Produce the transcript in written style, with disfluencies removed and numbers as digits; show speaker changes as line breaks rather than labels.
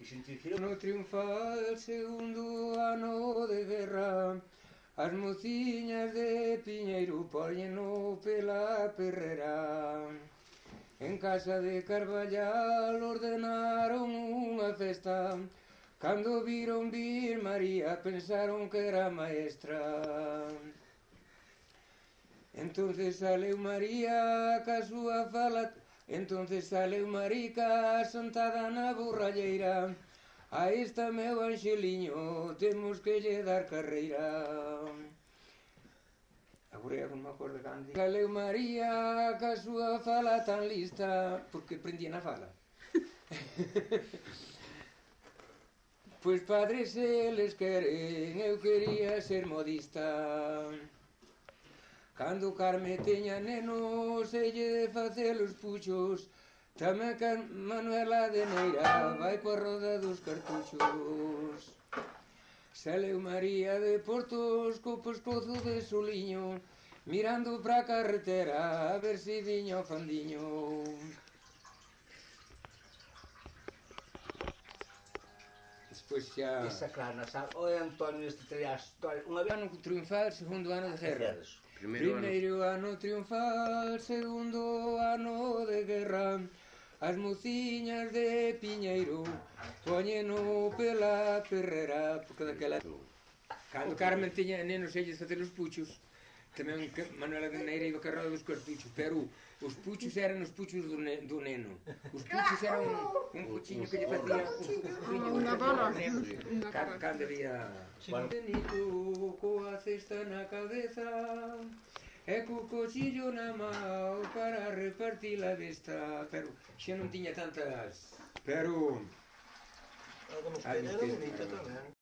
No triunfal segundo ano de guerra, as mociñas de Piñeiro póñeno pela perrera. En casa de Carballal ordenaron unha festa, cando viron vir María pensaron que era maestra. Entonces saleu María ca súa fala, entonces saleu Marica sentada na borralleira. A esta meu Anxeliño temos que lle dar carreira. Agora non me acordo cando. Saleu María ca súa fala tan lista, porque prendía na fala. Pois padres eles queren, eu quería ser modista. Cando Carme teña nenos, elle de facer os puxos, tamén que Manuela de Neira vai coa roda dos cartuchos. Saleu María de Portos co pescozo de soliño, mirando pra carretera a ver se viña o fandiño. Despois xa...
Esa claro, o de Antonio este traía a historia. Unha vez
Ano triunfal, segundo ano de guerra. Primeiro ano triunfal, segundo ano de guerra. As mociñas de Piñeiro póñeno pela perrera, porque daquela... Cando Carmen tiña nenos elles facer os puchos, tamén Manuela de Neira iba carrada dos cartuchos, pero os puchos eran os puchos do neno. Os puchos eran un puchiño que lle facía
Unha bola.
cando había... Benito coa cesta na cabeza e co cochillo na mao para repartir a desta, pero xa non tiña tantas... Pero...
Algo nos peineros bonito tamén.